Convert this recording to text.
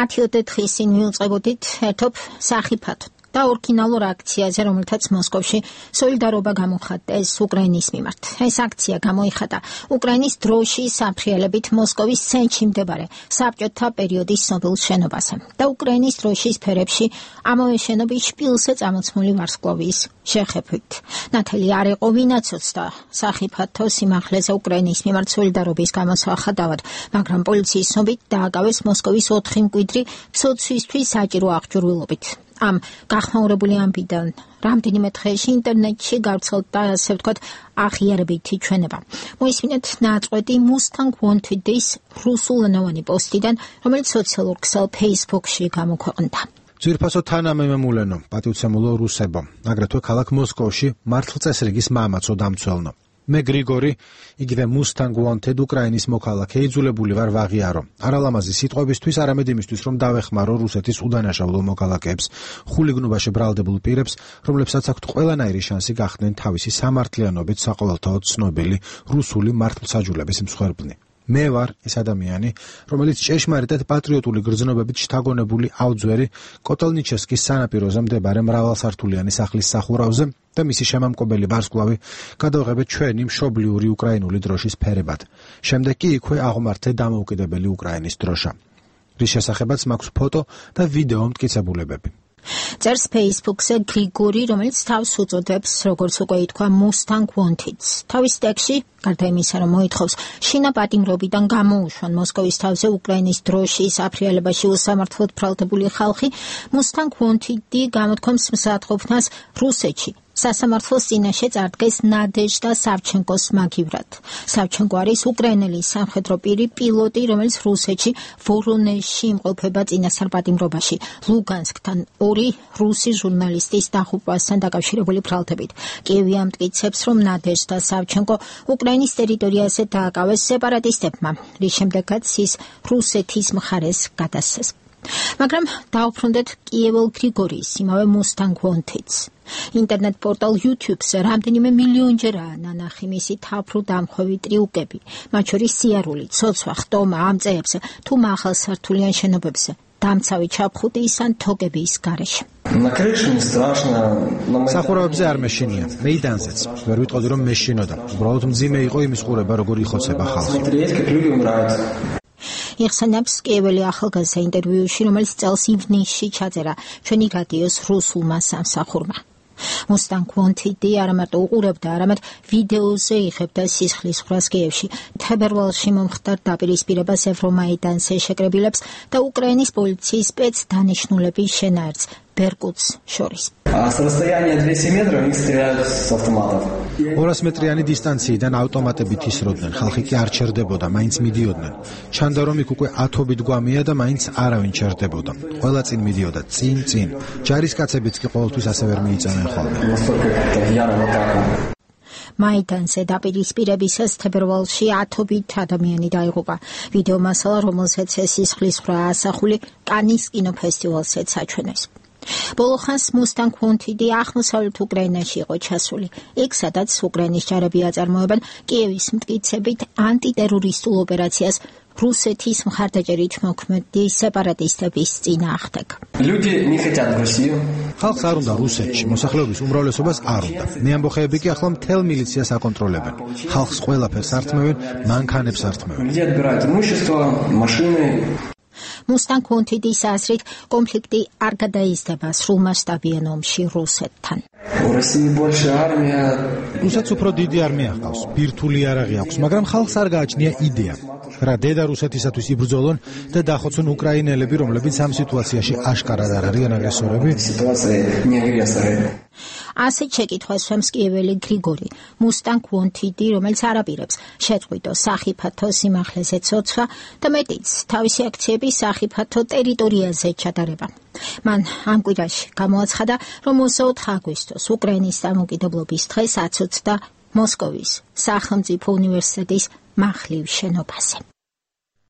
10 დღის წინ მივუწყებოდით ერთობ სახიფათოდ და ორიგინალურ აქციაზე, რომელთაც მოსკოვში სოლიდარობა გამოხატეს უკრაინის მიმართ. ეს აქცია გამოიხატა უკრაინის დროშის საფრიალებით მოსკოვის ცენტრში მდებარე საბჭოთა პერიოდის ცნობილ შენობაზე და უკრაინის დროშის ფერებში ამავე შენობის შპილზე წამოწმული ვარსკვლავის შეხებებით. ნათელი არ იყო ვინაცოცხლდა სახიფათო სიმაღლეზე უკრაინის მიმართ სოლიდარობის გამოსახატავად, მაგრამ პოლიციის ცნობით დააკავეს მოსკოვის 4 მკვიდრი ცოცვისთვის საჭირო აღჭურვილობით. ამ გახმაურებული ამბიდან რამდენიმე დღეში ინტერნეტში გავრცელდა, ასე ვთქვათ, აღიარებითი ჩვენება. მოისმინეთ ნაწყვეტი Mustang Wanted-ის რუსულენოვანი პოსტიდან, რომელიც სოციალურ ქსელ Facebook-ში გამოქვეყნდა. ძვირფასო თანამემამულენო, პატივცემულო რუსებო, აგრეთვე ქალაქ მოსკოვში მართლწესრიგის მამაცო დამცველნო. მე გრიგორი, იგივე Mustang Wanted უკრაინის მოქალაქე იძულებული ვარ ვაღიარო. არალამაზი სიტყვებისთვის, არამედ იმისთვის, რომ დავეხმარო რუსეთის უდანაშაულო მოქალაქეებს, ხულიგნობაში ბრალდებულ პირებს, რომლებსაც აქვთ ყველანაირი შანსი გახდნენ თავისი სამართლიანობით საყოველთაოდ ცნობილი რუსული მართლმსაჯულების მსხვერპლი. მე ვარ ეს ადამიანი, რომელიც ჭეშმარიტად პატრიოტული გრძნობებით შთაგონებული ავძვერი კოტელნიჩესკის სანაპიროზე მდებარე მრავალსართულიანი სახლის სახურავზე და მისი შემამკობელი ვარსკვლავი გადავღებეთ ჩვენი მშობლიური უკრაინული დროშის ფერებად. შემდეგ კი იქვე აღმართე დამოუკიდებელი უკრაინის დროშა. რის შესახებაც მაქვს ფოტო და ვიდეო მტკიცებულებები. წერს Facebook-ზე გრიგორი, რომელიც თავს უწოდებს, როგორც უკვე ითქვა, Mustang Wanted-ს. თავის ტექსტში, გარდა იმისა, რომ მოითხოვს შინაპატიმრობიდან გამოუშვან მოსკოვის თავზე უკრაინის დროშის აფრიალებაში უსამართლოდ ბრალდებული ხალხი, Mustang Wanted-ი გამოთქვამს მზადყოფნას რუსეთში. სასამართლოს წინაშე წარდგეს ნადეჟდა სავჩენკოს მაგივრად. სავჩენკო არის უკრაინელი სამხედრო პირი პილოტი, რომელიც რუსეთში ვორონეჟში იმყოფება წინასწარ პატიმრობაში, ლუგანსკთან 2 რუსი ჟურნალისტის დაღუპვასთან დაკავშირებული ბრალდებით. კიევი ამტკიცებს, რომ ნადეჟდა სავჩენკო უკრაინის ტერიტორიაზე დააკავეს სეპარატისტებმა, რის შემდეგაც ის რუსეთის მხარეს გადასცეს. მაგრამ დაუბრუნდეთ კიეველ გრიგორის, იმავე Mustang Wanted-ს. ინტერნეტ პორტალ YouTube-ზე რამდენიმე მილიონჯერაა ნანახი მისი თაფრუ დამხვევი ტრიუკები, მათ შორის სიარული, ცოცვა, ხტომა ამ წეებზე თუ მაღალსართულიან შენობებზე, დამცავი ჩაფხუტის ან თოგების გარეშე. სახურავებზე არ მეშინია, მეიდანზეც. ვერ ვიტყოდი, რომ მეშინოდა. უბრალოდ მძიმე იყო იმის ყურება, როგორ იხოცება ხალხი. იხსენებს კიეველი ახალგაზრდა ინტერვიუში, რომელიც წელს ივნისში ჩაწერა ჩვენი რადიოს რუსულმა სამსახურმა. Mustang Wanted-ი არა მარტო უყურებდა, არამედ ვიდეოზე იღებდა სისხლის ხრას კიევში, თებერვალში მომხდარ დაპირისპირებას ევრომაიდანზე შეკრებილებს და უკრაინის პოლიციის სპეცდანიშნულების შენაერთს ბერკუტს შორის. 200 მეტრიანი დისტანციიდან ავტომატებით ისროდნენ, ხალხი კი არ ჩერდებოდა, მაინც მიდიოდნენ. ჩანდა, რომ იქ უკვე ათობით გვამია და მაინც არავინ ჩერდებოდა. ყველა წინ მიდიოდა, წინ. ჯარისკაცებიც კი ყოველთვის ასე ვერ მიიწევენ ხოლმე. მაიდანზე დაპირისპირებისას თებერვალში 1000 ადამიანი დაიღუპა. ვიდეო მასალა, რომელზეც სისხლის ხრა ასახული, კანის კინოფესტივალზეც აჩვენეს. ბოლო ხანს Mustang Wanted-ი აღმოსავლეთ უკრაინაში იყო ჩასული. იქ, სადაც უკრაინის ჯარები აწარმოებენ კიევის მტკიცებით ანტიტერორისტულ ოპერაციას რუსეთის მხარდაჭერით მოქმედი სეპარატისტების წინააღმდეგ. ხალხს არ უნდა რუსეთში, მოსახლეობის უმრავლესობას არ უნდა. მეამბოხეები კი ახლა მთელ მილიციას აკონტროლებენ. ხალხს ყველაფერს ართმევენ, მანქანებს ართმევენ. Mustang Wanted-ის აზრით, კონფლიქტი არ გადაიზრდება სრულმასშტაბიან ომში რუსეთთან. რუსეთს უფრო დიდი არმია ჰყავს, ბირთვული იარაღი აქვს, მაგრამ ხალხს არ გააჩნია იდეა. რა დედა რუსეთისათვის იბრძოლონ და დახოცონ უკრაინელები, რომლებიც ამ სიტუაციაში აშკარად არ არიან აგრესორები? ასეთ შეკითხვას შვებს კიეველი გრიგორი. Mustang Wanted-ი, რომელიც არაპირებს შეწყვიტო სახიფათო სიმაღლეზე ცოცვა და მეტიც თავისი აქციები სახიფათო ტერიტორიაზე ჩატარება. მან ამ კვირაში გამოაცხადა, რომ 24 აგვისტოს უკრაინის დამოუკიდებლობის დღეს აცოცდა მოსკოვის სახელმწიფო უნივერსიტეტის מחლიվ შენობაზე.